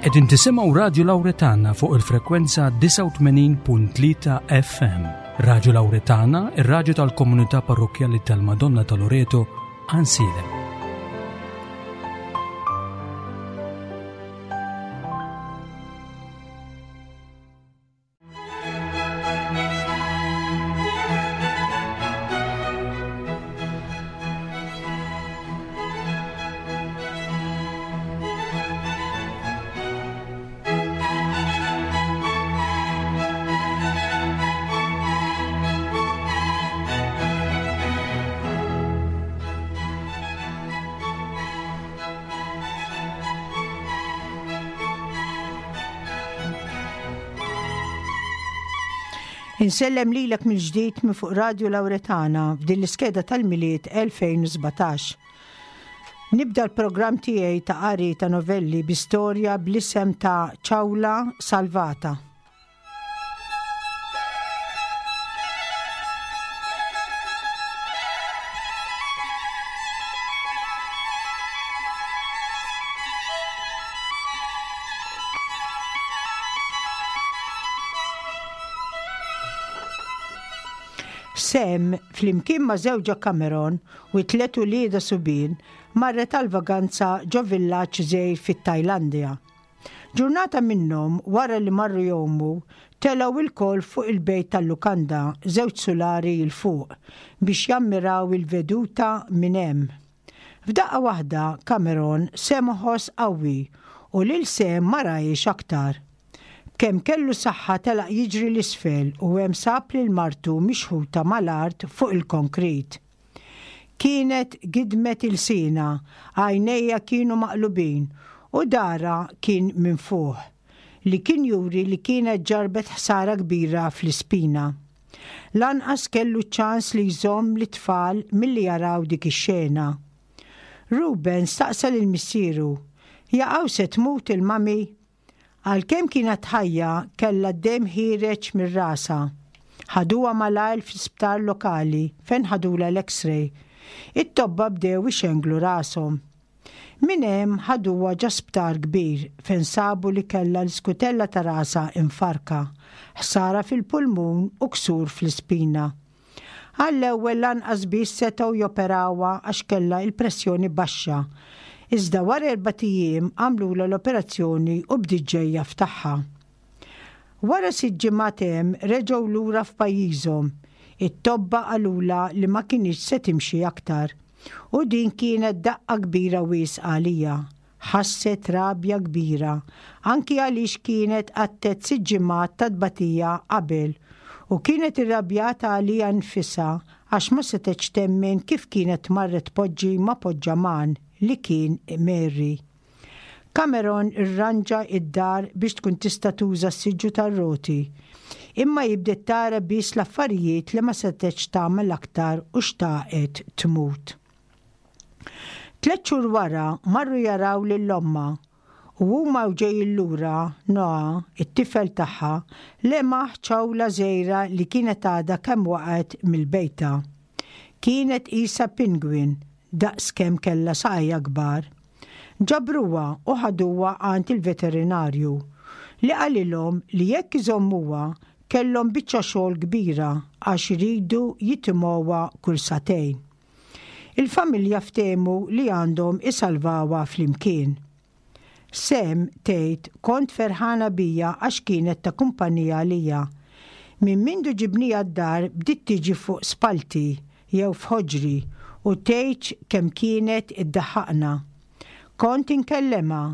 Qegħdin tisimgħu Radju Lawretana fuq il-frekwenza 89.3 FM. Radju Lawretana, ir-radju tal-komunità parrokkjali tal-Madonna ta' Loreto, Ansiedem. Insellem lilek mill-ġdid minn fuq Radio Lauretana f'din l-iskeda tal-Milied 2017. Nibda l-programm tiegħi ta' qari ta' novelli bi storja bl-isem ta' Ċawla Salvata. Sam, flimkien ma' żewġha Cameron u t-tlet uliedha subien, marret għal vaganza ġo villaġġ żgħir fit-Tajlandja. Ġurnata minnhom, wara li marru jgħumu, telgħu lkoll fuq il-bejt tal-lukanda żewġ sulari 'l fuq biex jammiraw il-veduta minn hemm. F'daqqa waħda Cameron sema' ħoss qawwi u lil Sam ma rahiex aktar. B'kemm kellu saħħa telaq jiġri 'l isfel u hemm sab lil martu mixħuta mal-art fuq il-konkrit. Kienet gidmet ilsienha, għajnejha kienu maqlubin u darha kien minfuħ, li kien juri li kienet ġarrbet ħsara kbira fl-ispina. Lanqas kellu ċ-ċans li jżomm lit-tfal milli jaraw dik ix-xena. Ruben staqsa lil missieru, Jaqaw se tmut il-mummy? Għalkemm kienet ħajja, kellha d-demm ħiereġ minn rasha. Ħaduha malajr fl-isptar lokali fejn ħadulha l-X-ray. It-tobba bdew ixenglu rashom. Minn hemm ħaduha ġo sptar kbir fejn sabu li kellha l-iskutella ta' rasha imfarrka, ħsara fil-pulmun u ksur fl-ispina. Għall-ewwel lanqas biss setgħu joperawha għax kellha l-pressjoni baxxa. Iżda wara erbat ijiem għamlulha l-operazzjoni u bdiet ġejja f'tagħha. Wara sitt ġimgħat hemm reġgħu lura f'pajjiżhom. It-tobba qalulha li ma kinitx se timxi aktar. U din kienet daqqa kbira wisq għaliha. Ħasset rabja kbira, anki għaliex kienet qattgħet sitt ġimgħat ta' tbatija qabel, u kienet irrabjata għaliha nfisha għax ma setgħetx temmen kif kienet marret tpoġġi ma' poġġaman li kien mgħerri. Cameron irranġa d-dar biex tkun tista' tuża s-siġġu tar-roti. Imma hi bdiet tara biss l-affarijiet li ma setgħetx tagħmel aktar u xtaqet tmut. Tlett xhur wara marru jaraw lil ommha u huma u ġejjin lura, Noah, it-tifel tagħha, lemaħ ċawla żgħira li kienet għadha kemm waqgħet mill-bejta. Kienet qisha penguin daqs kemm kellha saqajha kbar. Ġabruha u ħaduha għand il-veterinarju, li qalilhom li jekk iżommuha kellhom biċċa xogħol kbira għax iridu jitimgħuha kull sagħtejn. Il-familja ftehmu li għandhom isalvawha flimkien. Sam tgħid kont ferħana bija għax kienet ta' kumpanija għalija. Minn mindu ġibniha d-dar bdiet tiġi fuq spallti jew f'ħoġri u tgħidx kemm kienet iddaħħaqna. Kont inkellemha,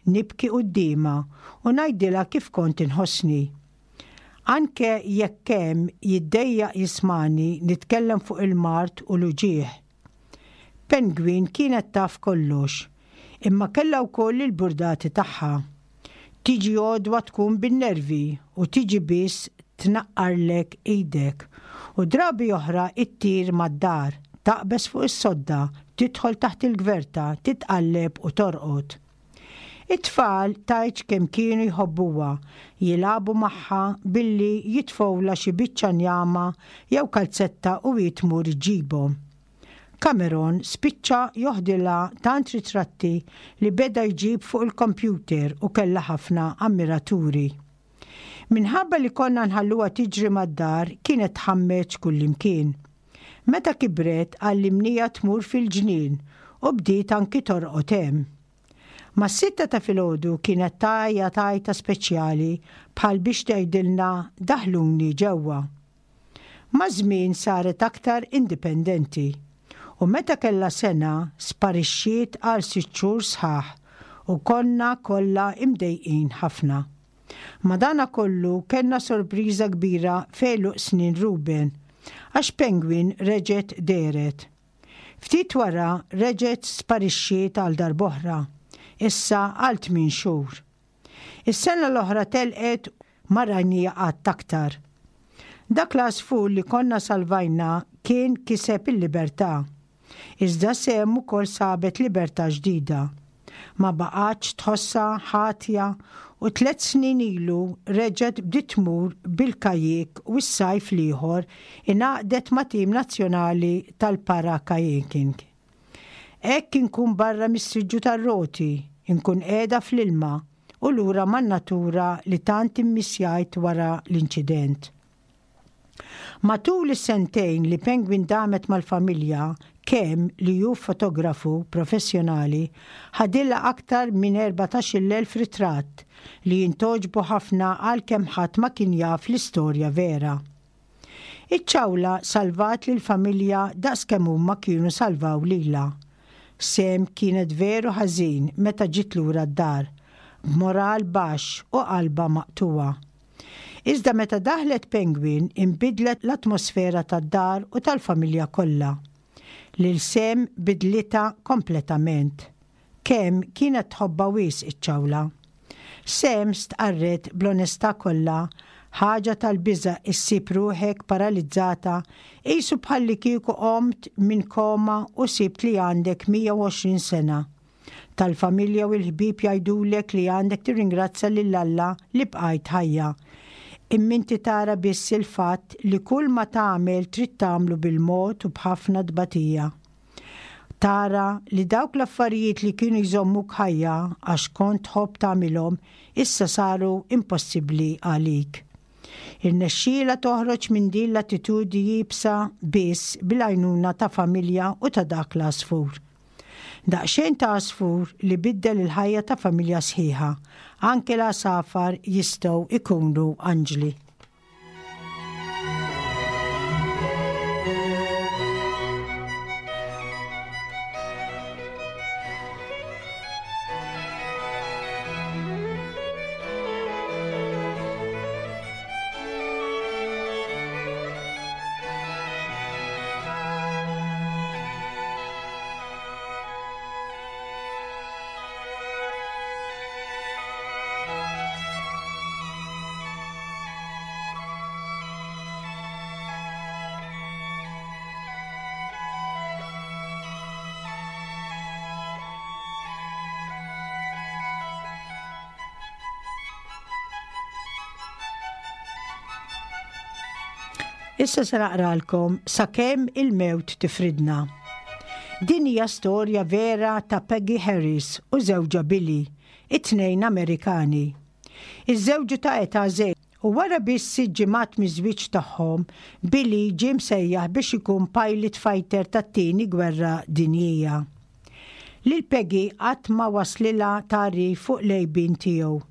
nibki quddiemha u ngħidilha kif kont inħossni. Anke jekk hemm jiddejjaq jismagħni nitkellem fuq il-mard u l-uġigħ. Penguin kienet taf kollox, imma kellha wkoll il-burdati tagħha. Tiġi għodwa tkun bin-nervi u tiġi biss tnaqqarlek idek u drabi oħra ttir mad-dar, taqbeż fuq is-sodda, tidħol taħt il-gverta, titqalleb u torqod. It-tfal tgħidx kemm kienu jħobbuha, jilagħbu magħha billi jitfgħulha xi biċċa njama jew kalzetta u hi tmur iġġibhom. Cameron spiċċa joħdilha tant ritratti li beda jġib fuq il-kompjuter u kellha ħafna ammiraturi. Minħabba li konna nħalluha tiġri mad-dar kienet tħammeġ kullimkien. Meta kibret għallimniha tmur fil-ġnien u bdiet anki torqod hemm. Mas-sitta ta' filgħodu kienet tgħajjat għajta speċjali bħal biex tgħidilna daħħluni ġewwa. Maż-żmien saret aktar indipendenti u meta kellha sena sparixxiet għal sitt xhur sħaħ u konna kollha imdejqin ħafna. Madanakollu kellna sorpriża kbira f'għeluq snin Ruben għax Penguin reġgħet dehret. Ftit wara reġgħet sparixxiet għal darb'oħra, issa għal tmien xhur. Is-sena l-oħra telqet ma rajniha qatt aktar. Dak l-għasfur li konna salvajna kien kiseb il-libertà. Iżda Sam ukoll sabet libertà ġdida. Ma baqgħetx tħossha ħatja u tlett snin ilu reġgħet bdiet tmur bil-kajjik u s-sajf l-ieħor ingħaqdet ma' tim nazzjonali tal-para-kayaking. Hekk inkun barra mis-siġġu tar-roti, inkun qiegħda fl-ilma u lura man-natura li tant immissjajt wara l-inċident. Matul is-sentejn li Penguin damet mal-familja, Kem, li hu fotografu professjonali, ħadilha aktar minn 14,000 ritratt li jintgħoġbu ħafna għalkemm ħadd ma kien jaf l-istorja vera. Iċ-ċawla salvat lill-familja daqs kemm huma kienu salvaw lilha. Sam kienet veru ħażin meta ġiet lura d-dar, b'moral baxx u qalbha maqtugħa. Iżda meta daħlet Penguin inbidlet l-atmosfera tad-dar u tal-familja kollha. Lil Sam bidlitha kompletament. Kemm kienet tħobbha wisq iċ-ċawla. Sam stqarret bl-onestà kollha, Ħaġa tal-biża' issib ruħek paralizzata qisu bħallikieku qomt minn koma u sibt li għandek 120 sena. Tal-familja u l-ħbieb jgħidulek li għandek tirringrazzja lil Alla li bqajt ħajja. Imma inti tara biss il-fatt li kull ma tagħmel trid tagħmlu bil-mod u b'ħafna tbatija. Tara li dawk l-affarijiet li kienu jżommuk ħajja għax kont tħobb tagħmilhom issa saru impossibbli għalik. Irnexxielha toħroġ minn din l-attitudni iebsa biss bil-għajnuna ta' familja u ta' dak l-għasfur. Daqsxejn ta' għasfur li biddel il-ħajja ta' familja sħiħa. Anke l-għasafar jistgħu jkunu anġli. Issa se naqralkom Sakemm il-mewt tifridna. Din hija storja vera ta' Peggy Harris u żewġha Billy, it-tnejn Amerikani. Iżżewġu ta' età żgħira u wara biss sitt ġimgħat miż-żwieġ tagħhom, Billy ġie msejjaħ biex ikun pilot fighter tat-Tieni Gwerra Dinjija. Lil Peggy qatt ma waslilha tagħrif fuq l-għejbien tiegħu.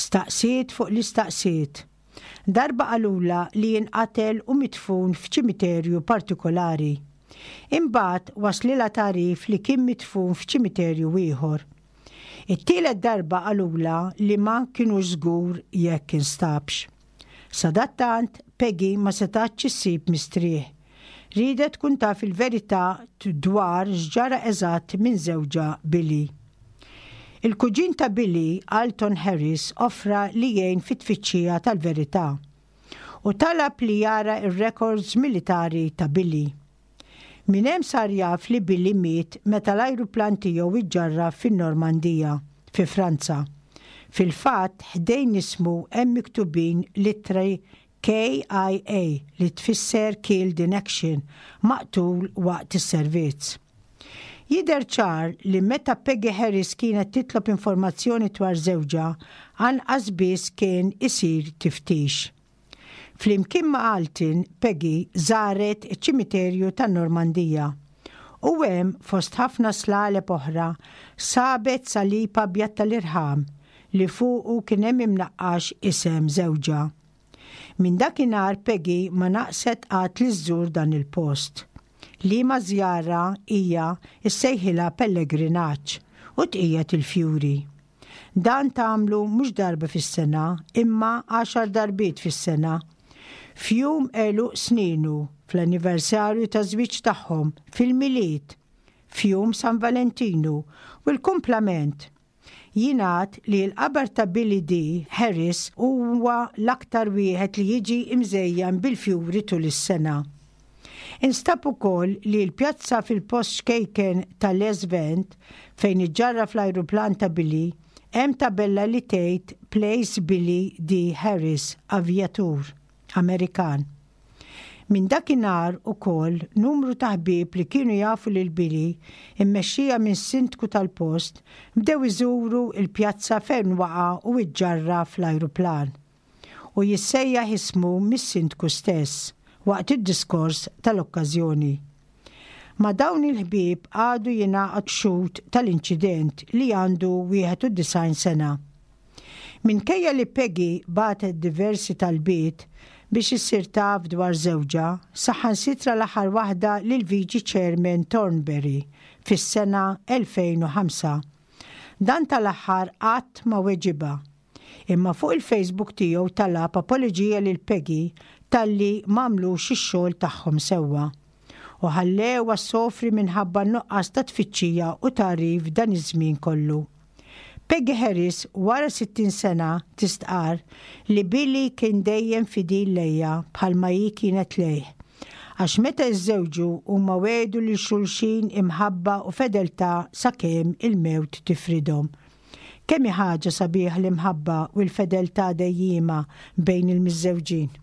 Staqsiet fuq li staqsiet. Darba qalulha li inqatel u midfun f'ċimiterju partikolari. Imbagħad waslilha tagħrif li kien midfun f'ċimiterju ieħor. It-tielet darba qalulha li ma kinux żgur jekk instabx. Sadattant, Peggy ma setgħetx issib mistrieħ. Riedet tkun taf il-verità dwar x'ġara eżatt minn żewġha Billy. Il-kuġin ta' Billy, Alton Harris, offra li jgħin fit-tfittxija tal-verità u talab li jara r-rekords militari ta' Billy. Minn hemm sar jaf li Billy miet meta l-ajruplan tiegħu iġġarraf fin-Normandija, fi Franza. Fil-fatt, ħdejn ismu hemm miktubin l-ittri. KIA, li tfisser Killed in Action, maqtul waqt is-servizz. Jidher ċar li meta Peggy Harris kienet titlob informazzjoni dwar żewġha, anqas biss kien isir tiftix. Flimkien ma' Alton, Peggy żaret iċ-ċimiterju tan-Normandija. U hemm, fost ħafna slaleb oħra, sabet salib abjad tal-irħam li fuqu kien hemm imnaqqax isem żewġha. Minn dakinhar Peggy ma naqset qatt li żżur dan il-post. Liema żjara hija ssejħilha pellegrinaġġ u tqiegħed il-fjuri. Dan tagħmlu mhux darba fis-sena, imma għaxar darbiet fis-sena. F'jum għeluq sninu, fl-anniversarju taż-żwieġ tagħhom, fil-Milied, f'jum San Valentinu, u l-kumplament. Jingħad li l-qabar ta' Billy Dee Harris huwa l-aktar wieħed li jiġi mżejjan bil-fjuri tul is-sena. Instab ukoll li l-pjazza fil-post ċkejken ta' Les Vent, fejn iġġarraf l-ajruplan ta' Billy, hemm tabella li tgħid Place Billy Dee Harris, avjatur Amerikan. Minn dakinhar ukoll numru ta' ħbieb li kienu jafu lil Billy, immexxija minn sindku tal-post, bdew iżuru l-pjazza fejn waqa' u iġġarraf l-ajruplan. u jissejjaħ ismu mis-Sindku stess waqt id-diskors tal-okkażjoni. Ma' dawn il-ħbieb għadu jingħaqad xhud tal-inċident li għandu 91 sena. Minkejja li Peggy bagħtet diversi talbiet biex issir taf dwar żewġha, saħansitra l-aħħar waħda lill-Viċi Chairman Thornberry fis-sena 2005. Dan tal-aħħar qatt ma weġibha. Imma fuq il-Facebook tiegħu talab apoloġija lil Peggy talli m'għamlux ix-xogħol tagħhom sewwa. U ħallewha ssofri minħabba n-nuqqas ta' tfittxija u tagħrif dan iż-żmien kollu. Peggy Harris wara 60 sena tistqarr li Billy kien dejjem fidil lejha bħalma hi kienet lejh. Għax meta iżżewġu huma wegħdu lil xulxin imħabba u fedeltà sakemm il-mewt tifridhom. Kemm hi ħaġa sabiħa l-imħabba u l-fedeltà dejjiema bejn il-miżżewġin!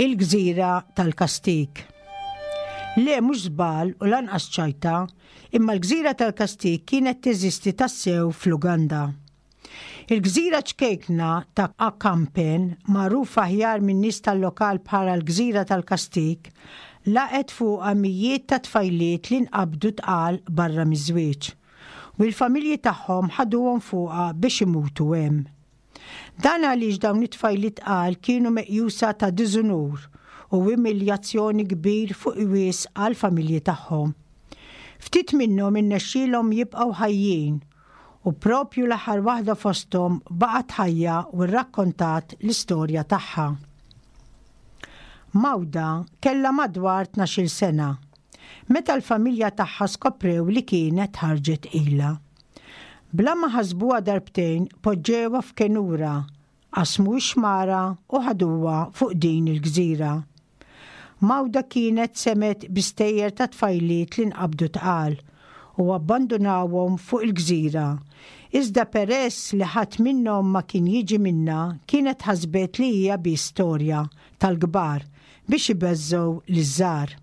Il-gżira tal-Kastig. Le mhux żball u lanqas ċajta, imma l-gżira tal-Kastig kienet teżisti tassew fl-Uganda. Il-gżira ċkejkna ta' Akampen, magħrufa aħjar min-nies tal-lokal bħala l-Gżira tal-Kastig, laqgħet fuqha mijiet ta' tfajliet li nqabdu tqal barra miż-żwieġ, u l-familji tagħhom ħaduhom fuqha biex imutu hemm. Dan għaliex dawn it-tfajliet tqal kienu meqjusa ta' diżunur u umiljazzjoni kbir fuq wisq għall-familji tagħhom. Ftit minnhom irnexxielhom jibqgħu ħajjin U proprju l-aħħar waħda fosthom baqgħet ħajja u rrakkontat l-istorja tagħha. Mawda kellha madwar tnax-il sena meta l-familja tagħha skoprew li kienet ħarġet tqila. Bla ma ħasbuha darbtejn poġġewha f'kenura Qasmu x-xmara u ħaduha fuq din il-gżira. Mawda kienet semgħet bi stejjer ta' tfajliet li nqabdu tqal u abbandunawhom fuq il-gżira. Iżda peress li ħadd minnhom ma kien jiġi minnha kienet ħasbet li hija biss storja tal-kbar biex ibeżżgħu liż-żgħar.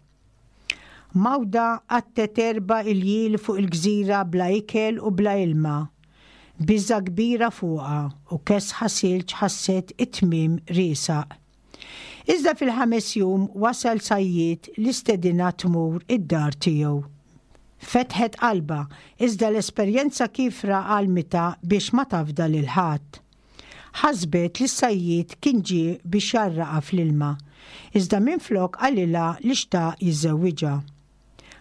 Mawda qattgħet erba' iljieli fuq il-gżira bla ikel u bla ilma. Biża' kbira fuqha u kesħa silġ ħasset it-tmiem riesaq. Iżda fil-ħames jum wasal sajjied li stedinha tmur id-dar tiegħu. Fetħet qalbha, iżda l-esperjenza kiefra għallmitha biex ma tafda lil ħadd. Ħasbet li s-sajjied kien ġie biex jgħarraqha fl-ilma, iżda minflok qalilha li xtaq jiżżewwiġha.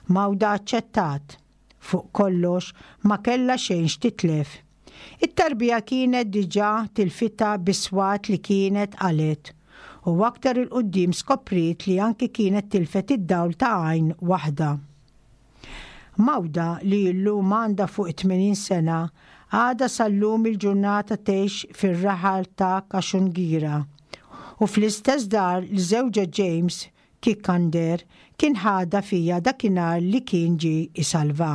Mawda aċċettat. Fuq kollox, ma kellha xejn x'titlef. It-tarbija kienet diġà tilfitha bis-swat li kienet qalgħet u aktar 'il quddiem skopriet li anki kienet tilfet id-dawl ta' għajn waħda. Mawda li llum għandha fuq it-80 sena għadha sal-lum il-ġurnata tgħix fir-raħal ta' Kashungira u fl-istess dar li żewġha James Kikander kien ħadha fiha dakinhar li kien ġie jsalvha.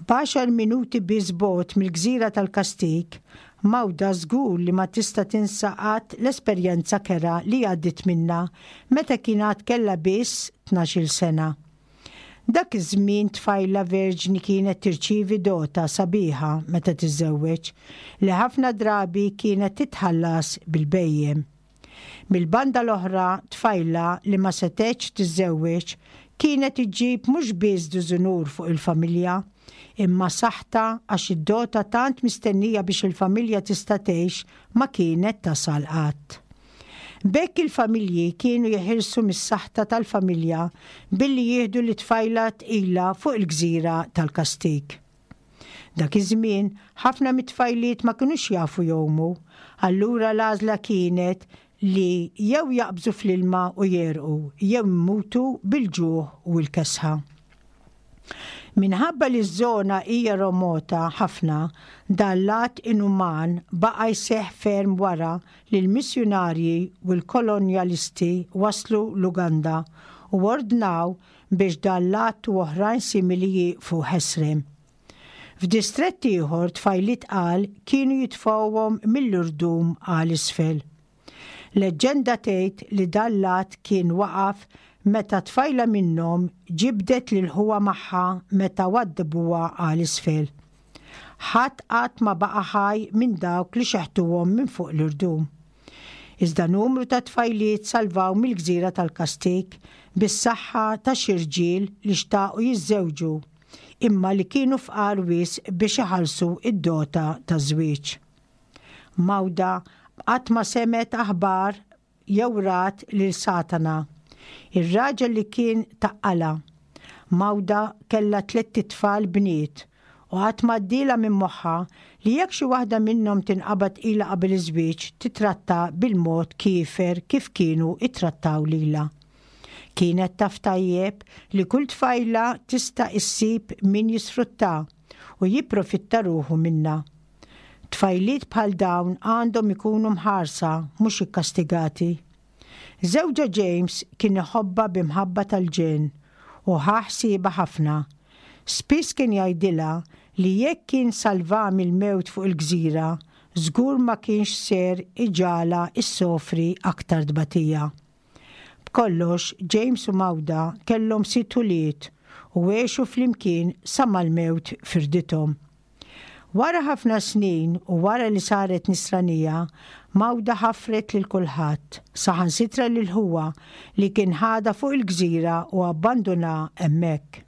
B'għaxar minuti biss bogħod mill-gżira tal-Kastig, Mawda żgur li ma tista' tinsa qatt l-esperjenza kerha li għaddiet minnha meta kien għad kellha biss tnax-il sena. Dak iż-żmien tfajla verġni kienet tirċievi dota sabiħa meta tiżżewweġ, li ħafna drabi kienet titħallas bil-bhejjem. Mill-banda l-oħra tfajla li ma setgħetx tiżżewweġ kienet iġġib mhux biss diżunur fuq il-familja, imma saħta għax id-dota tant mistennija biex il-familja tista' tgħix ma kienet tasal qatt. B'hekk il-familji kienu jeħilsu mis-saħta tal-familja billi jieħdu lit-tfajla tqila fuq il-gżira tal-kastig. Dak iż-żmien, ħafna mit-tfajliet ma kinux jafu jgħumu, allura l-għażla kienet li jew jaqbżu fl-ilma u jegħrqu jew imutu bil-ġuħ u l-kesħa. Minħabba li ż-żona hija remota ħafna, dan l-att inuman baqa' jseħħ ferm wara li l-missjunarji u l-kolonjalisti waslu l-Uganda u ordnaw biex dan l-att u oħrajn simili jieqfu ħesrem. F'distrett ieħor tfajliet tqal kienu jitfgħuhom mill-irdum għal isfel. Leġġenda tgħid li dan l-att kien waqaf meta tfajla minnhom ġibdet lil ħuha magħha meta waddbuha għal isfel. Ħadd qatt ma baqa' ħaj minn dawk li xeħtuhom minn fuq l-irdum. Iżda numru ta' tfajliet salvaw mill-gżira tal-kastig bis-saħħa ta' xi rġiel li xtaqu jiżżewġu imma li kienu fqar wisq biex iħallsu d-dota taż-żwieġ. Mawda qatt ma semgħet aħbar jew rat lil Satana, ir-raġel li kien taqqalha. Mawda kellha tlett itfal bniet u qatt m'għaddielha minn moħħha li jekk xi waħda minnhom tinqabad tqila qabel iż-żwieġ titratta bil-mod kiefer kif kienu ttrattaw lilha. Kienet taf tajjeb li kull tfajla tista' issib min jisfruttha u jipprofitta ruħu minnha. Tfajliet bħal dawn għandhom ikunu mħarsa mhux ikkastigati. Żewġha James kien iħobbha bi mħabba tal-ġenn u ħa ħsiebha ħafna. Spiss kien jgħidilha li jekk kien salvaha mill-mewt fuq il-gżira, żgur ma kienx ser iġagħalha ssofri aktar tbatija. B'kollox, James u Mawda kellhom sitt ulied u għexu flimkien sa ma l-mewt firdithom. Wara ħafna snin u wara li saret Nisranija, Mawda ħafret lil kulħadd, saħansitra lil ħuha li kien ħadha fuq il-gżira u abbandunha hemmhekk.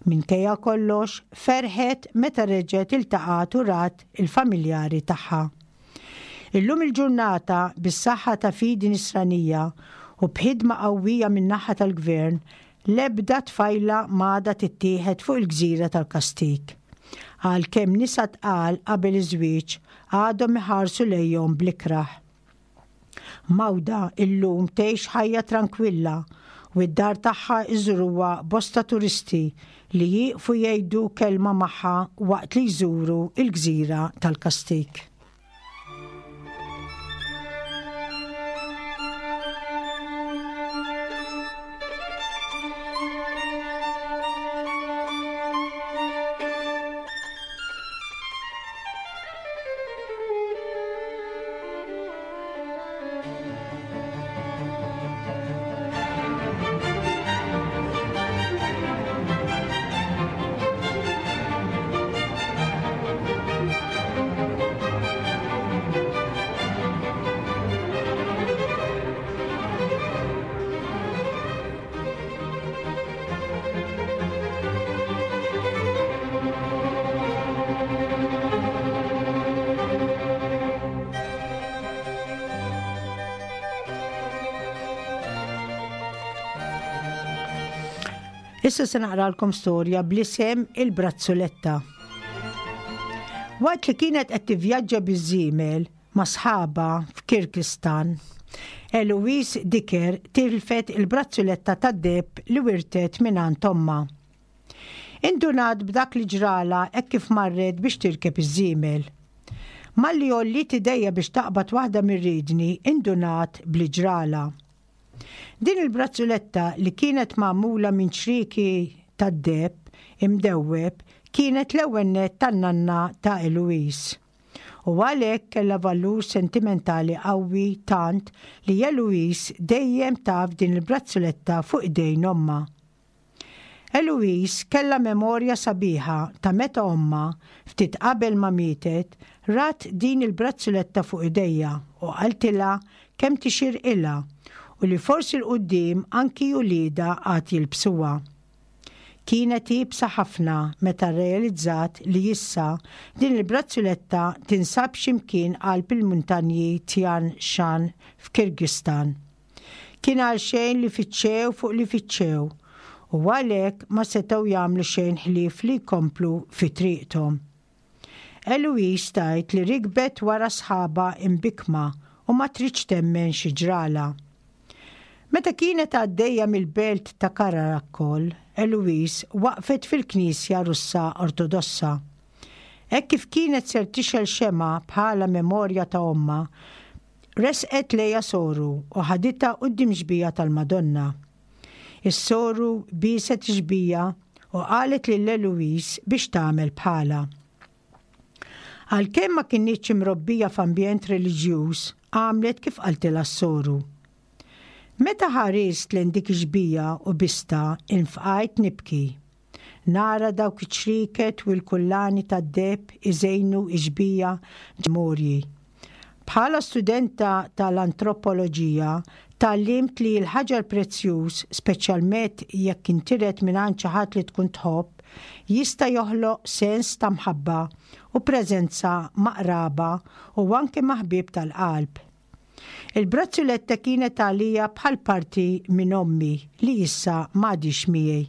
Minkejja kollox, ferħet meta reġgħet iltaqgħet u rat il-familjari tagħha. Illum il-ġurnata, bis-saħħa ta' fidi Nisranija u b'ħidma qawwija min-naħa tal-Gvern, L-ebda tfajla m'għadha tittieħed fuq il-gżira tal-kastig. Għalkemm nisa tqal qabel iż-żwieġ għadhom iħarsu lejhom bl-ikrah. Mawda illum tgħix ħajja trankwilla u d-dar tagħha jżuruha bosta turisti li jieqfu jgħidu kelma magħha waqt li jżuru l-gżira tal-kastig. Issa se naqralkom storja bl-isem il-brazzuletta. Waqt li kienet qed tivvjaġġa biż-żiemel ma' sħabha f'Kirgistan, Eloise Dicker tilfet il-brazzuletta tad-deheb li wirtet mingħand ommha. Indunat b'dak li ġralha hekk kif marret biex tirkeb iż-żiemel. Malli għolliet idejha biex taqbad waħda mir-riedni indunat b'li ġralha. Din il-brazzuletta li kienet magħmula minn ċrieki tad-deheb imdewweb kienet l-ewwel nett tan-nanna ta' Eloise. U għalhekk kellha valur sentimentali qawwi tant li Eloise dejjem taf din il-brazzuletta fuq idejn ommha. Eloise kellha memorja sabiħa ta' meta ommha, ftit qabel ma mietet, rat din il-brazzuletta fuq idejha u qaltilha kemm tixirqilha u li forsi 'l quddiem anki uliedha għad jilbsuha. Kienet iebsa ħafna meta rrealizzat li issa din il-brazzuletta tinsab xi mkien qalb il-muntanji Tian Shan f'Kyrgyzstan. Kien għalxejn li fittxew fuq li fittxew, u għalhekk ma setgħu jagħmlu xejn ħlief li jkomplu fi triqthom. Eloise tgħid li rikbet wara sħabha imbikkma u ma tridx temmen xi ġralha. Meta kienet għaddejja mill-belt ta' Karakol, Eloise waqfet fil-knisja Russa Ortodossa. Hekk kif kienet ser tixgħel xemgħa bħala memorja ta' ommha, Resqet lejha soru u ħaditha quddiem xbieha tal-Madonna. Is-soru bieset ix-xbieha u qalet lil Eloise biex tagħmel bħalha. Għalkemm ma kinitx imrobbija f'ambjent reliġjuż, għamlet kif qaltilha s-soru. Meta ħarist lejn dik ix-xbieha u bistha, infqajt nibki. Nara dawk iċ-ċrieket u l-kullani tad-deheb iżejnu x-xbieha ġmorji. Bħala studenta ta' l-antropoloġija, tgħallimt li l-ħaġar prezzjuż, speċjalmet jekk intiret mingħand xi ħadd li tkun tħobb, jista' joħloq sens ta' mħabba u preżenza ma' qraba u anke ma' ħbieb tal-qalb. Il-brazzuletta kienet għalija bħal parti minn ommi li issa m'għadhiex miegħi.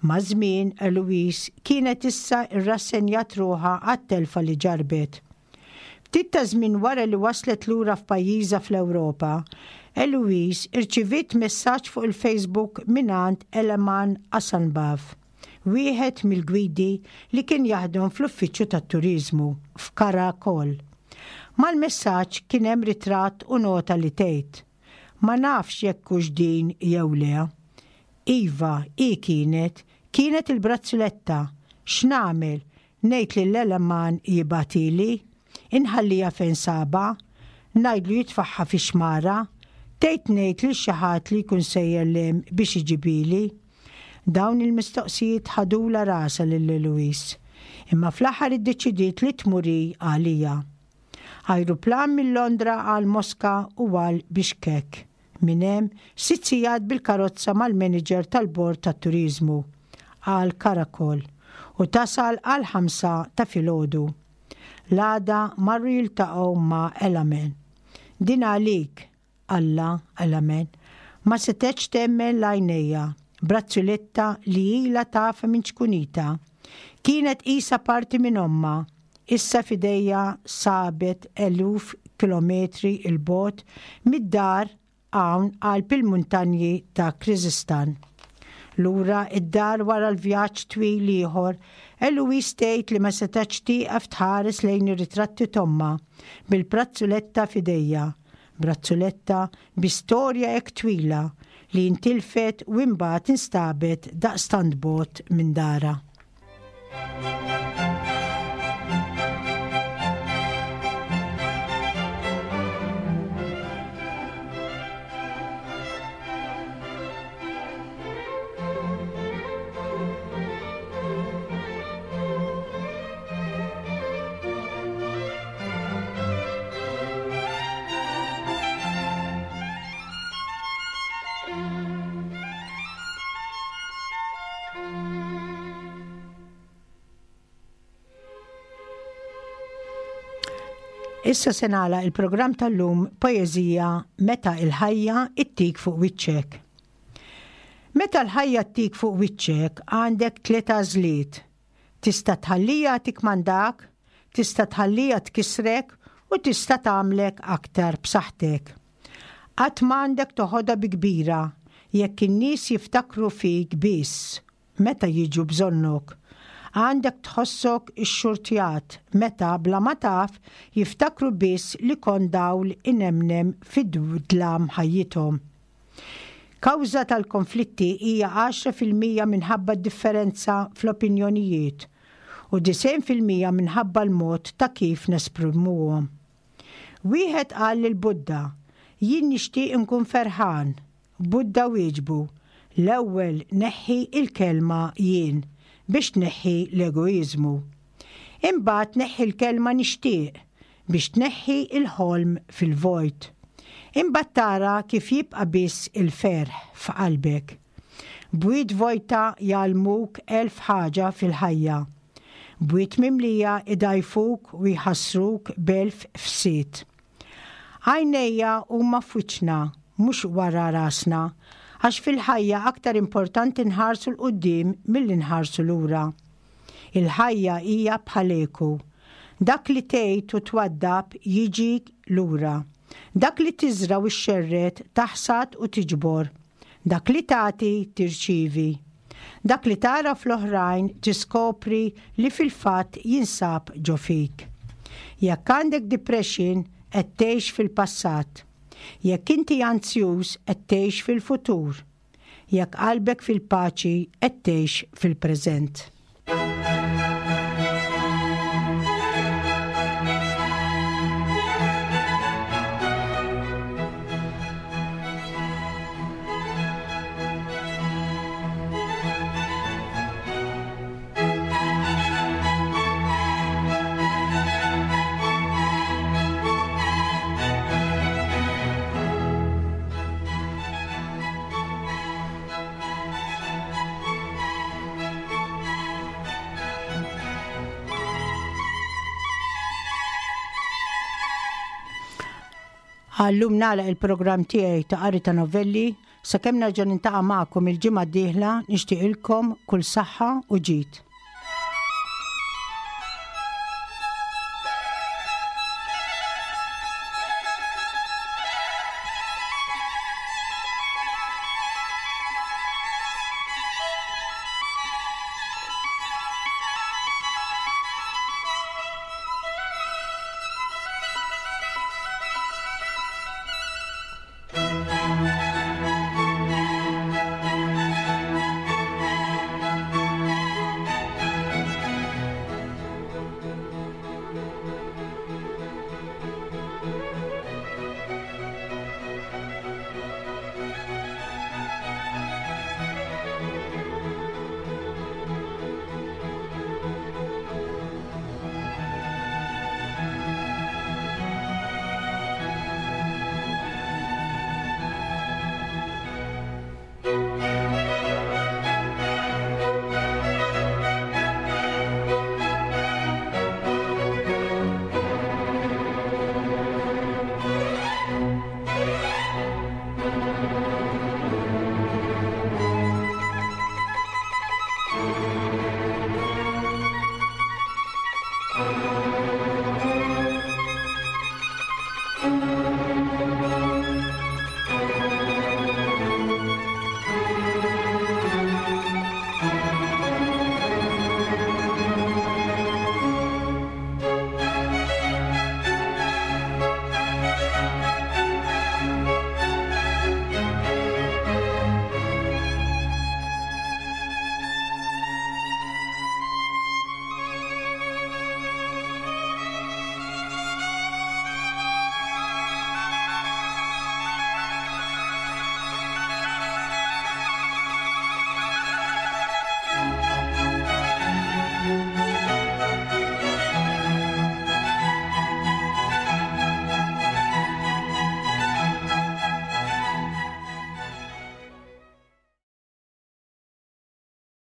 Maż-żmien, Eloise kienet issa rrassenjat ruħha għat-telfa li ġarrbet. Ftit ta' żmien wara li waslet lura f'pajjiżha fl-Ewropa, Eloise irċiviet messaġġ fuq il-Facebook mingħand Eleman Asanbav, wieħed mill-gwidi li kien jaħdem fl-uffiċċju tat-turiżmu f'Karakol. Mal-messaġġ kien hemm ritratt u nota li tgħid, Ma nafx jekk hux din jew le. Iva, hi kienet. Kienet il-brazzuletta. X'nagħmel? Ngħid lil Eleman jibgħathieli? Inħalliha fejn sabha? Ngħidlu jitfagħha fix-xmara? Tgħid ngħid lil xi ħadd li jkun sejjer 'l hemm biex iġibhieli? Dawn il-mistoqsijiet ħadulha rasha lil Eloise. Imma fl-aħħar iddeċidiet li tmur hi għaliha. Ajruplan minn Londra għal Moska u għal Bishkek. Minn hemm, sitt sigħat bil-karozza mal-manager tal-bord tat-turiżmu għal Karakol u tasal għall-ħamsa ta' filgħodu. L-għada marru jiltaqgħu ma' Elamen. Din għalik, Alla, Elamen. Ma setgħetx temmen l-għajnejha. Brazzuletta li ilha tafha minn ċkunitha. Kienet qisha parti minn ommha. Issa f'idejha sabet eluf kilometri 'l bogħod mid-dar hawn qalb il-muntanji ta' Kyrgyzstan. Lura d-dar wara l-vjaġġ twil ieħor, Eloise tgħid li ma setgħetx tieqaf tħares lejn ir-ritratti t'ommha bil-prazzuletta f'idejha. Brazzuletta bi storja hekk twila li intilfet u imbagħad instabet daqstant bogħod minn darha. Issa se nagħlaq il-programm tal-lum poeżija Meta il-ħajja ittik fuq wiċċek. Meta l-ħajja ttik fuq wiċċek għandek tliet għażliet. Tista' tħalliha tikkmandak? Tista' tħalliha tkissrek u tista' tagħmlek aktar b'saħħtek. Qatt m'għandek toħodha bi kbira jekk in-nies jiftakru fik biss meta jiġu bżonnok. Għandek tħossok ixxurtjat meta bla ma taf jiftakru biss li kont dawl inemnem fid-dlam ħajjithom. Kawża tal-konflitti hija 10% minħabba d-differenza fl-opinjonijiet u 90% minħabba l-mod ta' kif nesprimuhom. Wieħed qal lil Buddha, Jien nixtieq inkun ferħan. Buddha wieġbu, L-ewwel neħħi l-kelma jien biex tneħħi l-egoiżmu. Imbagħad neħħi l-kelma nixtieq biex tneħħi l-ħolm fil-vojt. Imbagħad tara kif jibqa' biss il-ferħ f'qalbek. Bwiet vojta jgħallmuk elf ħaġa fil-ħajja. Bwiet mimlija jdgħajfuk u jħassruk b'elf fsied. Għajnejja huma f'wiċċna, mhux wara rasna, għax fil-ħajja aktar importanti nħarsu 'l quddiem milli nħarsu lura. Il-ħajja hija bħal eku. Dak li tgħid u twaddab jiġik lura. Dak li tiżra' u xxerred taħsad u tiġbor. Dak li tagħti tirċievi. Dak li tara fl-oħrajn tiskopri li fil-fatt jinsab ġo fik. Jekk għandek depression qed tgħix fil-passat. Jekk inti anzjuż qed tgħix fil-futur. Jekk qalbek fil-paċi qed tgħix fil-preżent. Għallum nagħlaq il-programm tiegħi ta' qari ta' novelli sakemm nerġa' nintaqa' magħkom il-ġimgħa d-dieħla nixtieqilkom kull saħħa u ġid.